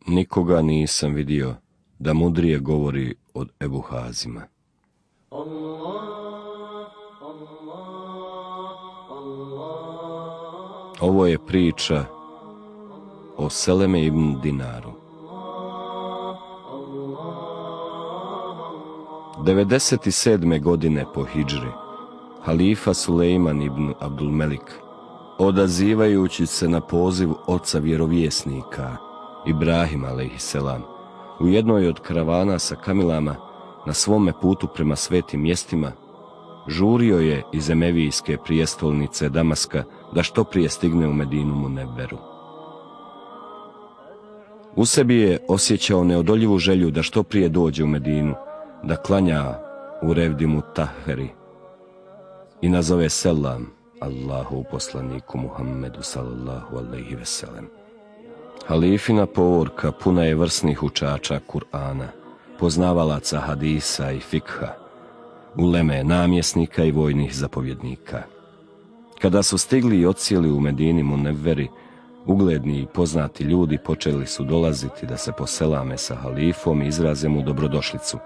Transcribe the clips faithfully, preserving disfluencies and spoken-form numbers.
Nikoga nisam vidio da mudrije govori od Ebu Hazima. Ovo je priča o Seleme ibn Dinaru. devedeset sedme godine po hidžri, halifa Sulejman ibn Abdulmelik, odazivajući se na poziv oca vjerovjesnika, Ibrahima alejhiselam, u jednoj od karavana sa kamilama na svome putu prema svetim mjestima, žurio je iz emevijske prijestolnice Damaska da što prije stigne u Medinu Munevveru. U sebi je osjećao neodoljivu želju da što prije dođe u Medinu, da klanja u Revdimu Taheri i nazove selam Allahu poslaniku Muhammedu sallallahu alejhi ve sellem. Halifina povorka puna je vrsnih učača Kur'ana, poznavalaca hadisa i fikha, uleme namjesnika i vojnih zapovjednika. Kada su stigli i odsjeli u Medini Munevveri, ugledni i poznati ljudi počeli su dolaziti da se poselame sa halifom i izraze mu dobrodošlicu.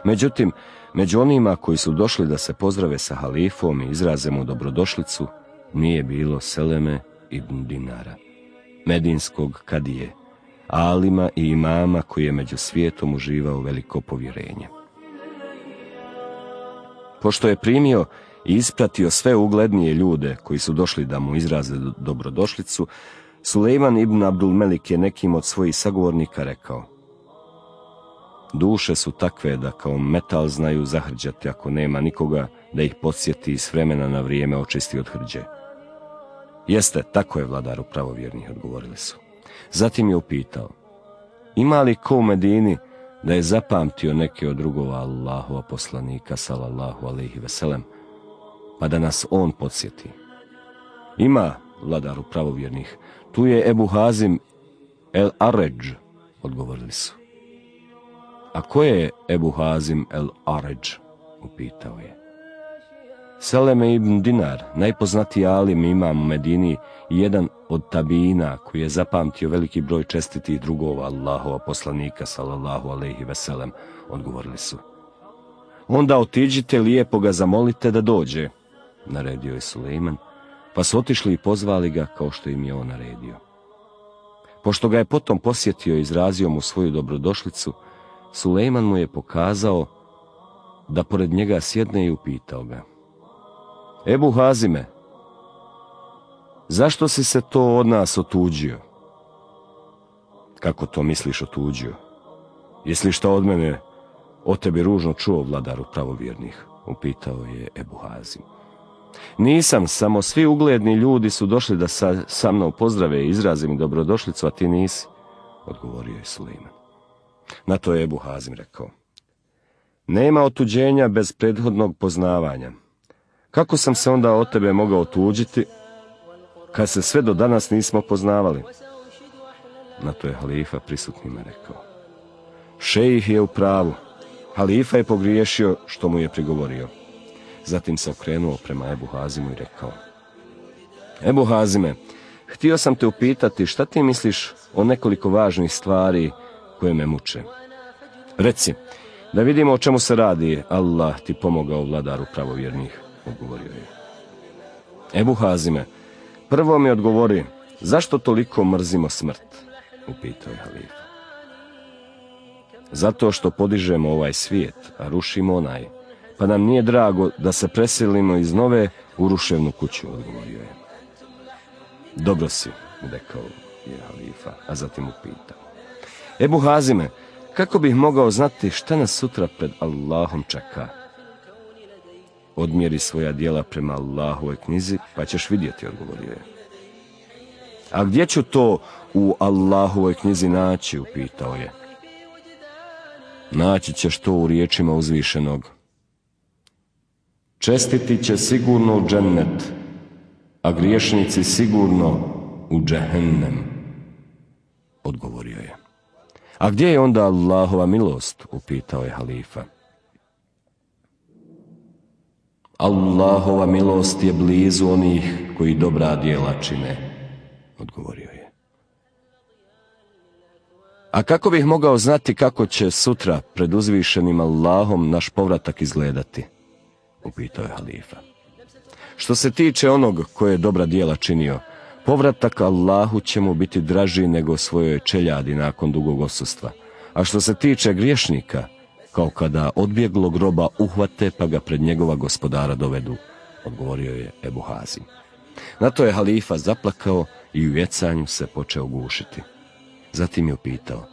Međutim, među onima koji su došli da se pozdrave sa halifom i izraze mu dobrodošlicu, nije bilo Seleme ibn Dinara, medinskog kadije, alima i imama koji je među svijetom uživao veliko povjerenje. Pošto je primio i ispratio sve uglednije ljude koji su došli da mu izraze dobrodošlicu, Sulejman ibn Abdulmelik je nekim od svojih sagovornika rekao: duše su takve da kao metal znaju zahrđati ako nema nikoga da ih podsjeti i s vremena na vrijeme očisti od hrđe. Jeste, tako je, vladaru pravovjernih, odgovorili su. Zatim je upitao: ima li ko u Medini da je zapamtio neke od drugova Allahova poslanika sallallahu alejhi ve sellem, pa da nas on podsjeti? Ima, vladaru pravovjernih, tu je Ebu Hazim el Aređ, odgovorili su. A ko je Ebu Hazim el Aređ? Upitao je. Seleme ibn Dinar, najpoznatiji alim imam u Medini i jedan od tabina koji je zapamtio veliki broj čestitih drugova Allahova poslanika sallallahu alejhi ve sellem, odgovorili su. Onda otiđite lijepo ga zamolite da dođe, naredio je Sulejman, pa su otišli i pozvali ga kao što im je on naredio. Pošto ga je potom posjetio i izrazio mu svoju dobrodošlicu, Sulejman mu je pokazao da pored njega sjedne i upitao ga: Ebu Hazime, zašto si se to od nas otuđio? Kako to misliš otuđio? Jesi li šta od mene o tebi ružno čuo, vladaru pravovjernih? Upitao je Ebu Hazim. Nisam, samo svi ugledni ljudi su došli da sa, sa mnom pozdrave i izraze mi dobrodošlicu, a ti nisi, odgovorio je Sulejman. Na to je Ebu Hazim rekao: nema otuđenja bez prethodnog poznavanja. Kako sam se onda od tebe mogao otuđiti, kad se sve do danas nismo poznavali? Na to je halifa prisutnima rekao: šejih je u pravu, halifa je pogriješio što mu je prigovorio. Zatim se okrenuo prema Ebu Hazimu i rekao: Ebu Hazime, htio sam te upitati šta ti misliš o nekoliko važnih stvari koje me muče. Reci, da vidimo o čemu se radi. Allah ti pomogao, vladaru pravovjernih, odgovorio je. Ebu Hazime, prvo mi odgovori, zašto toliko mrzimo smrt? Upitao je halifa. Zato što podižemo ovaj svijet, a rušimo onaj, pa nam nije drago da se preselimo iz nove u ruševnu kuću, odgovorio je. Dobro si, rekao je halifa, a zatim upitao: Ebu Hazime, kako bih mogao znati šta nas sutra pred Allahom čeka? Odmjeri svoja djela prema Allahovoj knjizi, pa ćeš vidjeti, odgovorio je. A gdje ću to u Allahovoj knjizi naći? Upitao je. Naći ćeš to u riječima uzvišenog: čestiti će sigurno u džennet, a griješnici sigurno u džehennem, odgovorio je. A gdje je onda Allahova milost? Upitao je halifa. Allahova milost je blizu onih koji dobra djela čine, odgovorio je. A kako bih mogao znati kako će sutra pred uzvišenim Allahom naš povratak izgledati? Upitao je halifa. Što se tiče onog koje je dobra djela činio, povratak Allahu će mu biti draži nego svojoj čeljadi nakon dugog odsustva. A što se tiče griješnika, kao kada odbjeglog roba uhvate pa ga pred njegova gospodara dovedu, odgovorio je Ebu Hazim. Na to je halifa zaplakao i u jecanju se počeo gušiti. Zatim je upitao,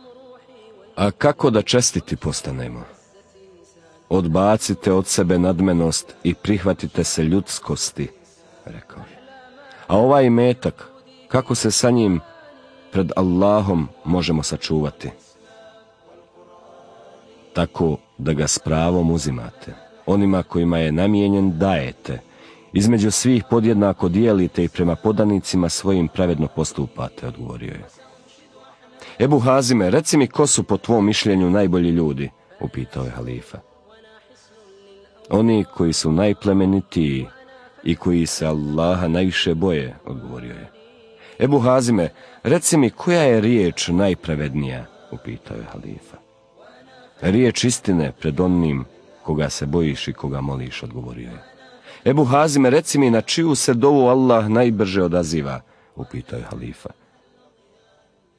a kako da čestiti postanemo? Odbacite od sebe nadmenost i prihvatite se ljudskosti, rekao je. A ovaj imetak, kako se sa njim pred Allahom možemo sačuvati? Tako da ga s pravom uzimate. Onima kojima je namijenjen dajete. Između svih podjednako dijelite i prema podanicima svojim pravedno postupate, odgovorio je. Ebu Hazime, reci mi ko su po tvom mišljenju najbolji ljudi, upitao je halifa. Oni koji su najplemenitiji i koji se Allaha najviše boje, odgovorio je. Ebu Hazime, reci mi koja je riječ najpravednija, upitao je halifa. Riječ istine pred onim koga se bojiš i koga moliš, odgovorio je. Ebu Hazime, reci mi na čiju se dovu Allah najbrže odaziva, upitao je halifa.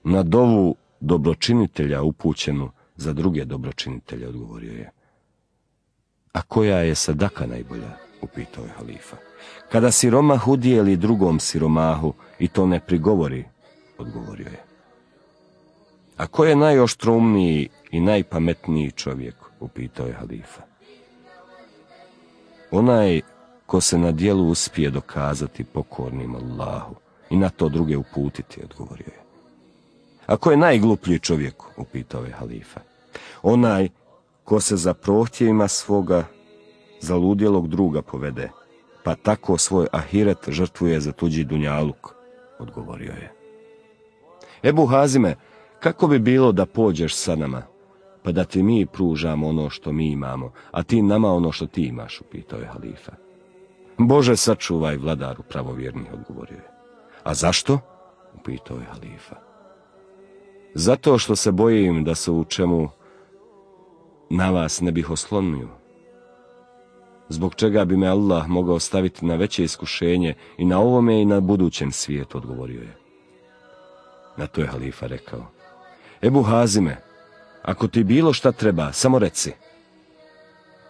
Na dovu dobročinitelja upućenu za druge dobročinitelje, odgovorio je. A koja je sadaka najbolja, upitao je halifa. Kada siromah udijeli drugom siromahu i to ne prigovori, odgovorio je. A ko je najoštroumniji i najpametniji čovjek, upitao je halifa. Onaj ko se na dijelu uspije dokazati pokornim Allahu i na to druge uputiti, odgovorio je. A ko je najgluplji čovjek, upitao je halifa. Onaj ko se za prohtjevima svoga zaludjelog druga povede, pa tako svoj ahiret žrtvuje za tuđi dunjaluk, odgovorio je. Ebu Hazime, kako bi bilo da pođeš sa nama, pa da ti mi pružamo ono što mi imamo, a ti nama ono što ti imaš, upitao je halifa. Bože, sačuvaj, vladaru pravovjernih, odgovorio je. A zašto? Upitao je halifa. Zato što se bojim da se u čemu na vas ne bih oslonio. Zbog čega bi me Allah mogao staviti na veće iskušenje i na ovome i na budućem svijetu, odgovorio je. Na to je halifa rekao. Ebu Hazime, ako ti bilo šta treba, samo reci.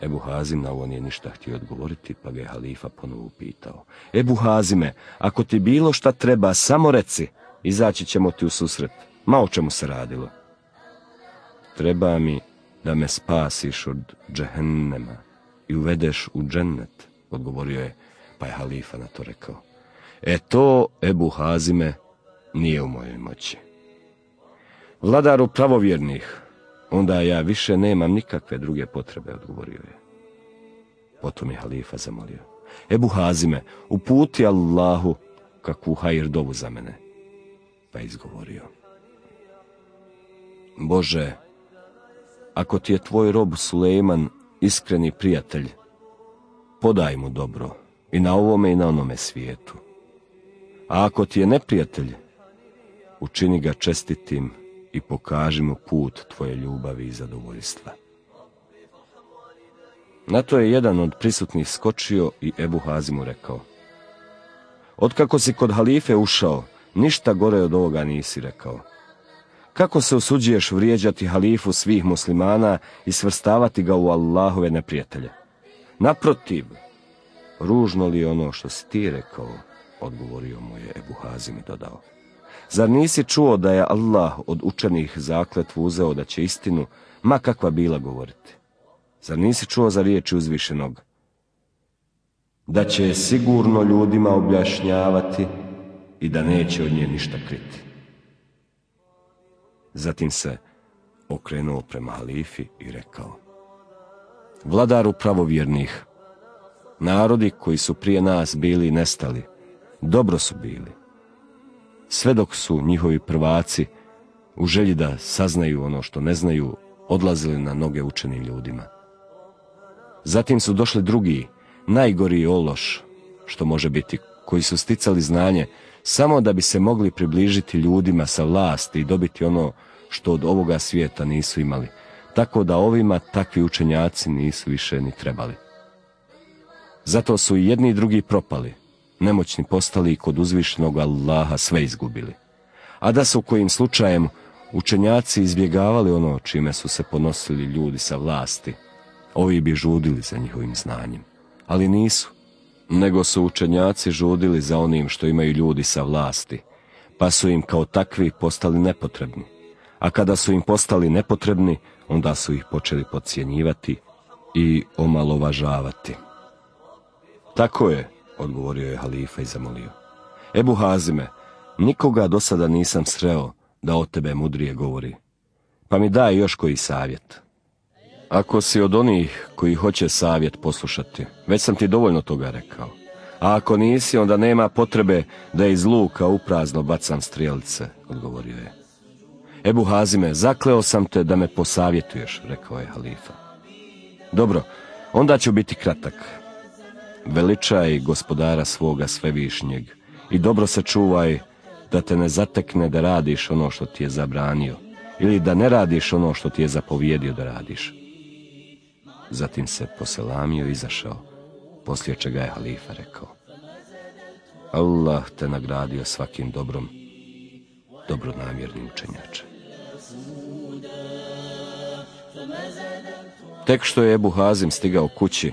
Ebu Hazim na ovo nije ništa htio odgovoriti, pa ga je halifa ponovo upitao. Ebu Hazime, ako ti bilo šta treba, samo reci, izaći ćemo ti u susret. Ma o čemu se radilo? Treba mi da me spasiš od džehennema i uvedeš u džennet, odgovorio je, pa je halifa na to rekao. E to, Ebu Hazime, nije u mojoj moći. Vladaru pravovjernih, onda ja više nemam nikakve druge potrebe, odgovorio je. Potom je halifa zamolio. Ebu Hazime, uputi Allahu kakvu hajr dovu za mene, pa je izgovorio. Bože, ako ti je tvoj rob Sulejman iskreni prijatelj, podaj mu dobro i na ovome i na onome svijetu. A ako ti je neprijatelj, učini ga čestitim i pokaži mu put tvoje ljubavi i zadovoljstva. Na to je jedan od prisutnih skočio i Ebu Hazimu rekao. Otkako si kod halife ušao, ništa gore od ovoga nisi rekao. Kako se usuđuješ vrijeđati halifu svih muslimana i svrstavati ga u Allahove neprijatelje? Naprotiv, ružno li ono što si ti rekao, odgovorio mu je Ebu Hazim i dodao. Zar nisi čuo da je Allah od učenih zakletvu uzeo da će istinu, ma kakva bila, govoriti? Zar nisi čuo za riječi uzvišenog? Da će sigurno ljudima objašnjavati i da neće od nje ništa kriti. Zatim se okrenuo prema halifi i rekao. Vladaru pravovjernih, narodi koji su prije nas bili nestali, dobro su bili. Sve dok su njihovi prvaci, u želji da saznaju ono što ne znaju, odlazili na noge učenim ljudima. Zatim su došli drugi, najgori ološ, što može biti, koji su sticali znanje samo da bi se mogli približiti ljudima sa vlasti i dobiti ono što od ovoga svijeta nisu imali, tako da ovima takvi učenjaci nisu više ni trebali. Zato su i jedni i drugi propali, nemoćni postali i kod uzvišenog Allaha sve izgubili. A da su kojim slučajem učenjaci izbjegavali ono čime su se ponosili ljudi sa vlasti, ovi bi žudili za njihovim znanjem. Ali nisu, nego su učenjaci žudili za onim što imaju ljudi sa vlasti, pa su im kao takvi postali nepotrebni. A kada su im postali nepotrebni, onda su ih počeli podcjenjivati i omalovažavati. Tako je, odgovorio je halifa i zamolio. Ebu Hazime, nikoga do sada nisam sreo da od tebe mudrije govori, pa mi daj još koji savjet. Ako si od onih koji hoće savjet poslušati, već sam ti dovoljno toga rekao. A ako nisi, onda nema potrebe da iz luka uprazno bacam strijelice, odgovorio je. Ebu Hazime, zakleo sam te da me posavjetuješ, rekao je halifa. Dobro, onda ću biti kratak. Veličaj gospodara svoga svevišnjeg i dobro se čuvaj da te ne zatekne da radiš ono što ti je zabranio ili da ne radiš ono što ti je zapovjedio da radiš. Zatim se poselamio i izašao, poslije čega je halifa rekao: Allah te nagradio svakim dobrom, dobronamjerni učenjače. Tek što je Ebu Hazim stigao kući,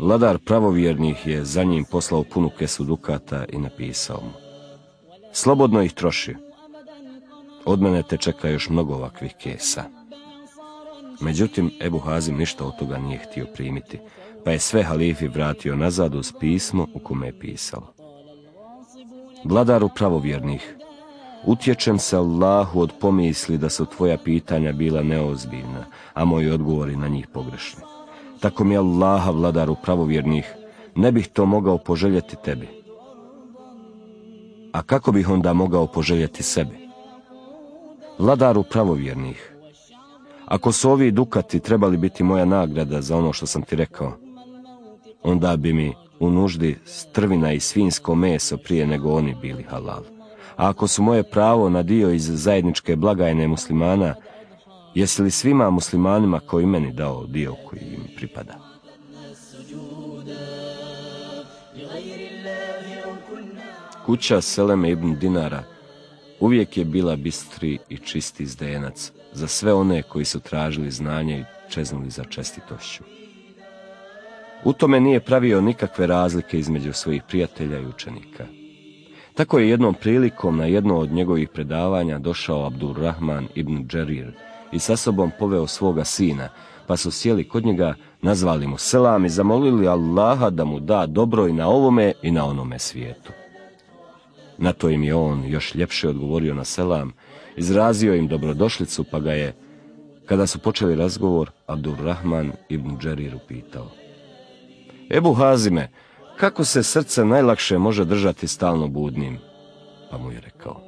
vladar pravovjernih je za njim poslao punu kesu dukata i napisao mu: slobodno ih troši, od mene te čeka još mnogo ovakvih kesa. Međutim, Ebu Hazim ništa od toga nije htio primiti, pa je sve halifi vratio nazad uz pismo u kome je pisalo: vladaru pravovjernih, utječem se Allahu od pomisli da su tvoja pitanja bila neozbiljna, a moji odgovori na njih pogrešni. Tako mi Allaha, vladaru pravovjernih, ne bih to mogao poželjeti tebi. A kako bih onda mogao poželjeti sebi? Vladaru pravovjernih, ako su ovi dukati trebali biti moja nagrada za ono što sam ti rekao, onda bi mi u nuždi strvina i svinjsko meso prije nego oni bili halal. A ako su moje pravo na dio iz zajedničke blagajne muslimana, jesi li svima muslimanima koji meni dao dio koji im pripada? Kuća Seleme ibn Dinara uvijek je bila bistri i čisti zdenac za sve one koji su tražili znanje i čeznuli za čestitošću. U tome nije pravio nikakve razlike između svojih prijatelja i učenika. Tako je jednom prilikom na jedno od njegovih predavanja došao Abdurrahman ibn Džerir i sa sobom poveo svoga sina, pa su sjeli kod njega, nazvali mu selam i zamolili Allaha da mu da dobro i na ovome i na onome svijetu. Na to im je on još ljepše odgovorio na selam, izrazio im dobrodošlicu, pa ga je, kada su počeli razgovor, Abdurrahman ibn Džerir upitao: Ebu Hazime, kako se srce najlakše može držati stalno budnim? Pa mu je rekao: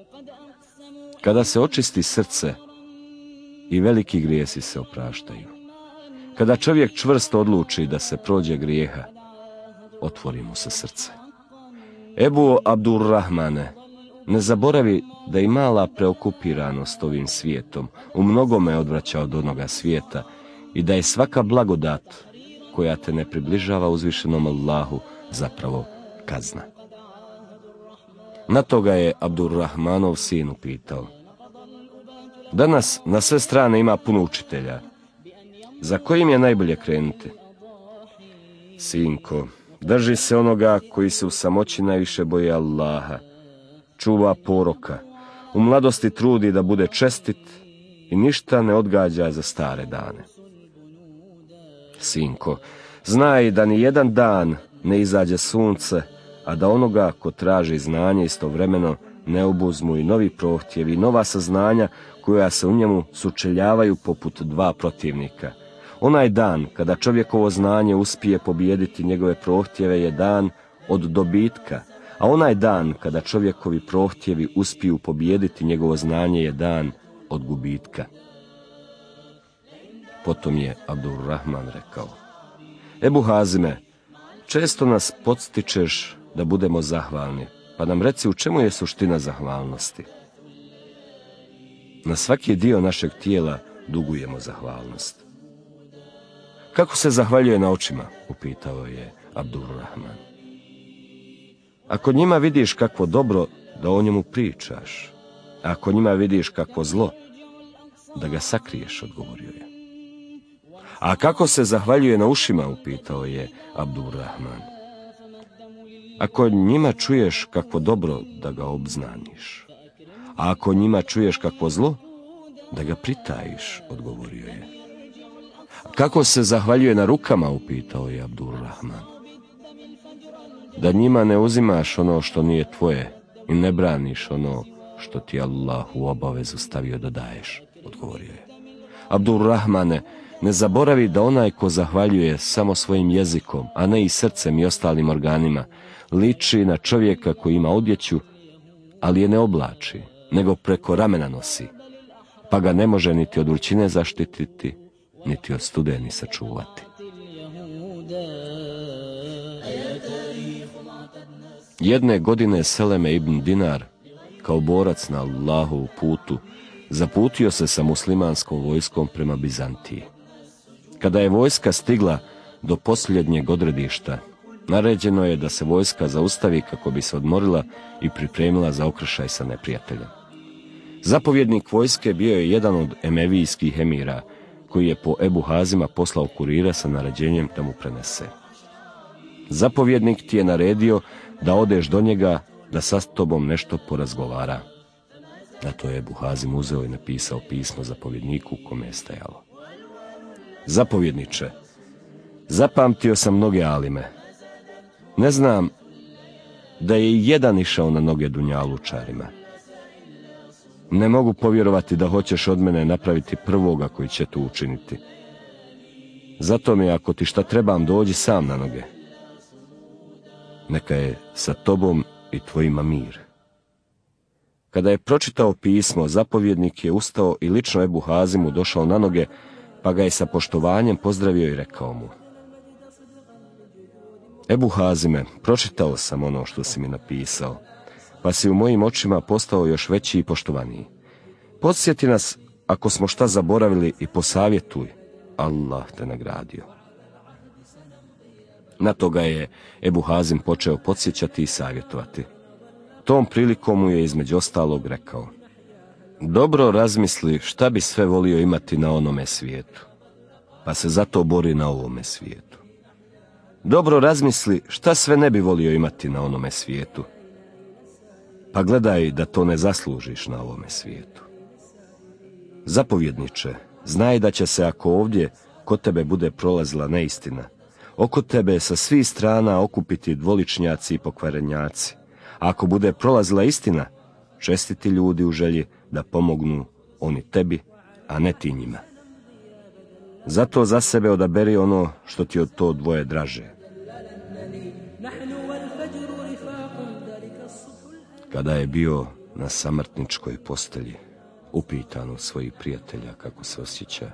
kada se očisti srce i veliki grijesi se opraštaju. Kada čovjek čvrsto odluči da se prođe grijeha, otvori mu se srce. Ebu Abdurrahmane, ne zaboravi da i mala preokupiranost ovim svijetom u mnogome odvraća od onoga svijeta i da je svaka blagodat koja te ne približava uzvišenom Allahu zapravo kazna. Na to ga je Abdurrahmanov sin upitao: danas na sve strane ima puno učitelja, za kojim je najbolje krenuti? Sinko, drži se onoga koji se u samoći najviše boji Allaha, čuva poroka, u mladosti trudi da bude čestit i ništa ne odgađa za stare dane. Sinko, znaj da ni jedan dan ne izađe sunce, a da onoga ko traži znanje istovremeno ne obuzmu i novi prohtjevi, nova saznanja koja se u njemu sučeljavaju poput dva protivnika. Onaj dan kada čovjekovo znanje uspije pobijediti njegove prohtjeve je dan od dobitka, a onaj dan kada čovjekovi prohtjevi uspiju pobijediti njegovo znanje je dan od gubitka. Potom je Abdurrahman rekao: Ebu Hazime, često nas podstičeš da budemo zahvalni, pa nam reci u čemu je suština zahvalnosti. Na svaki dio našeg tijela dugujemo zahvalnost. Kako se zahvaljuje na očima? Upitao je Abdurrahman. Ako njima vidiš kakvo dobro, da o njemu pričaš. Ako njima vidiš kakvo zlo, da ga sakriješ, odgovorio je. A kako se zahvaljuje na ušima? Upitao je Abdurrahman. Ako njima čuješ kakvo dobro, da ga obznaniš. A ako njima čuješ kakvo zlo, da ga pritajiš, odgovorio je. Kako se zahvaljuje na rukama? Upitao je Abdurrahman. Da njima ne uzimaš ono što nije tvoje i ne braniš ono što ti Allah u obavezu stavio da daješ, odgovorio je. Abdurrahmane, ne zaboravi da onaj ko zahvaljuje samo svojim jezikom, a ne i srcem i ostalim organima, liči na čovjeka koji ima odjeću, ali je ne oblači, nego preko ramena nosi, pa ga ne može niti od vrućine zaštititi, niti od studeni sačuvati. Jedne godine Seleme ibn Dinar, kao borac na Allahovu putu, zaputio se sa muslimanskom vojskom prema Bizantiji. Kada je vojska stigla do posljednjeg odredišta, naređeno je da se vojska zaustavi kako bi se odmorila i pripremila za okršaj sa neprijateljem. Zapovjednik vojske bio je jedan od emevijskih emira, koji je po Ebu Hazima poslao kurira sa naređenjem da mu prenese. Zapovjednik ti je naredio da odeš do njega, da sa tobom nešto porazgovara. Na to je Ebu Hazim uzeo i napisao pismo zapovjedniku kome je stajalo. Zapovjedniče, zapamtio sam mnoge alime. Ne znam da je i jedan išao na noge dunjalučarima. Ne mogu povjerovati da hoćeš od mene napraviti prvoga koji će to učiniti. Zato mi, ako ti šta trebam, dođi sam na noge. Neka je sa tobom i tvojima mir. Kada je pročitao pismo, zapovjednik je ustao i lično Ebu Hazimu došao na noge, pa ga je sa poštovanjem pozdravio i rekao mu: Ebu Hazime, pročitao sam ono što si mi napisao, pa si u mojim očima postao još veći i poštovaniji. Podsjeti nas ako smo šta zaboravili i posavjetuj, Allah te nagradio. Na to ga je Ebu Hazim počeo podsjećati i savjetovati. Tom prilikom mu je između ostalog rekao: dobro razmisli šta bi sve volio imati na onome svijetu, pa se zato bori na ovome svijetu. Dobro razmisli šta sve ne bi volio imati na onome svijetu, pa gledaj da to ne zaslužiš na ovome svijetu. Zapovjedniče, znaj da će se, ako ovdje kod tebe bude prolazila neistina, oko tebe sa svih strana okupiti dvoličnjaci i pokvarenjaci. A ako bude prolazila istina, čestiti ljudi u želji da pomognu oni tebi, a ne ti njima. Zato za sebe odaberi ono što ti od to dvoje draže. Kada je bio na samrtničkoj postelji, upitan od svojih prijatelja kako se osjeća,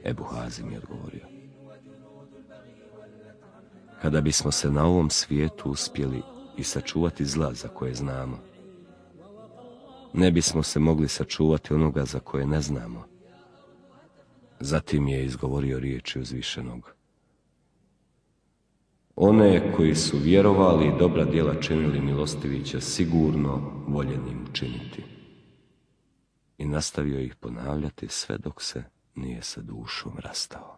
Ebu Hazim je odgovorio: kada bismo se na ovom svijetu uspjeli i sačuvati zla za koje znamo, ne bismo se mogli sačuvati onoga za koje ne znamo. Zatim je izgovorio riječi uzvišenog: one koji su vjerovali i dobra djela činili, milostivi će sigurno voljenim činiti. I nastavio ih ponavljati sve dok se nije sa dušom rastao.